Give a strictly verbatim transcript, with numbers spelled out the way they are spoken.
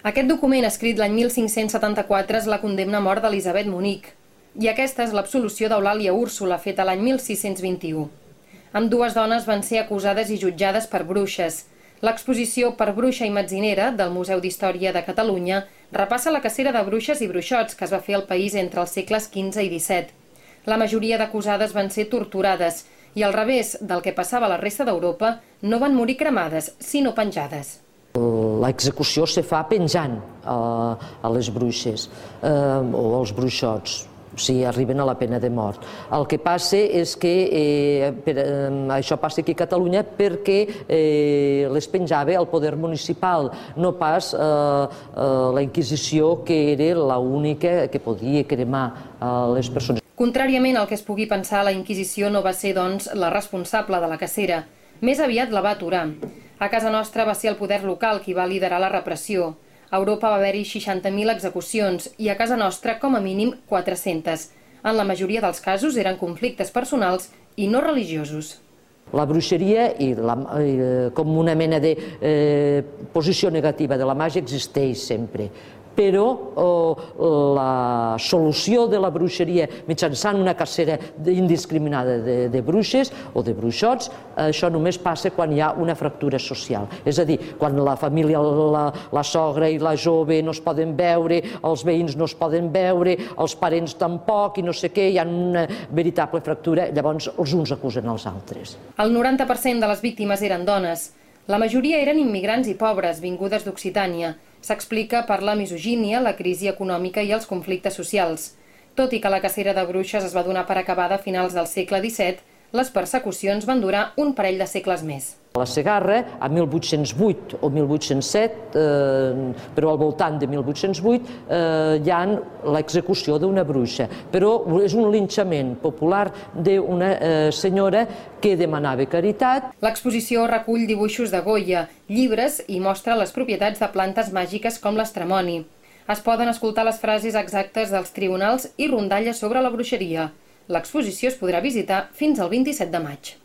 Aquest document, escrit l'any mil cinc-cents setanta-quatre, és la condemna a mort d'Elisabet Munic. I aquesta és l'absolució d'Eulàlia Úrsula, feta l'any mil sis-cents vint-i-u. Ambdues dones van ser acusades i jutjades per bruixes. L'exposició Per bruixa i metzinera del Museu d'Història de Catalunya repassa la cacera de bruixes i bruixots que es va fer al país entre els segles quinze i disset. La majoria d'acusades van ser torturades i, al revés del que passava a la resta d'Europa, no van morir cremades, sinó penjades. L'execució se fa penjant a les bruixes o als bruixots, si arriben a la pena de mort. El que passa és que això passa aquí a Catalunya perquè les penjava el poder municipal, no pas la Inquisició, que era l'única que podia cremar les persones. Contràriament al que es pugui pensar, la Inquisició no va ser, doncs, la responsable de la cacera. Més aviat la va aturar. A casa nostra va ser el poder local qui va liderar la repressió. A Europa va haver-hi seixanta mil execucions i a casa nostra, com a mínim, quatre-centes. En la majoria dels casos eren conflictes personals i no religiosos. La bruixeria, com una mena de posició negativa de la màgia, existeix sempre. Però la solució de la bruixeria mitjançant una cacera indiscriminada de bruixes o de bruixots, això només passa quan hi ha una fractura social. És a dir, quan la família, la sogra i la jove no es poden veure, els veïns no es poden veure, els parents tampoc i no sé què, hi ha una veritable fractura, llavors els uns acusen els altres. El noranta per cent de les víctimes eren dones. La majoria eren immigrants i pobres, vingudes d'Occitània. S'explica per la misogínia, la crisi econòmica i els conflictes socials. Tot i que la cacera de bruixes es va donar per acabada a finals del segle disset, les persecucions van durar un parell de segles més. A la Segarra, a mil vuit-cents vuit o mil vuit-cents set, però al voltant de mil vuit-cents vuit, hi ha l'execució d'una bruixa. Però és un linxament popular d'una senyora que demanava caritat. L'exposició recull dibuixos de Goya, llibres i mostra les propietats de plantes màgiques com l'estremoni. Es poden escoltar les frases exactes dels tribunals i rondalles sobre la bruixeria. L'exposició es podrà visitar fins al vint-i-set de maig.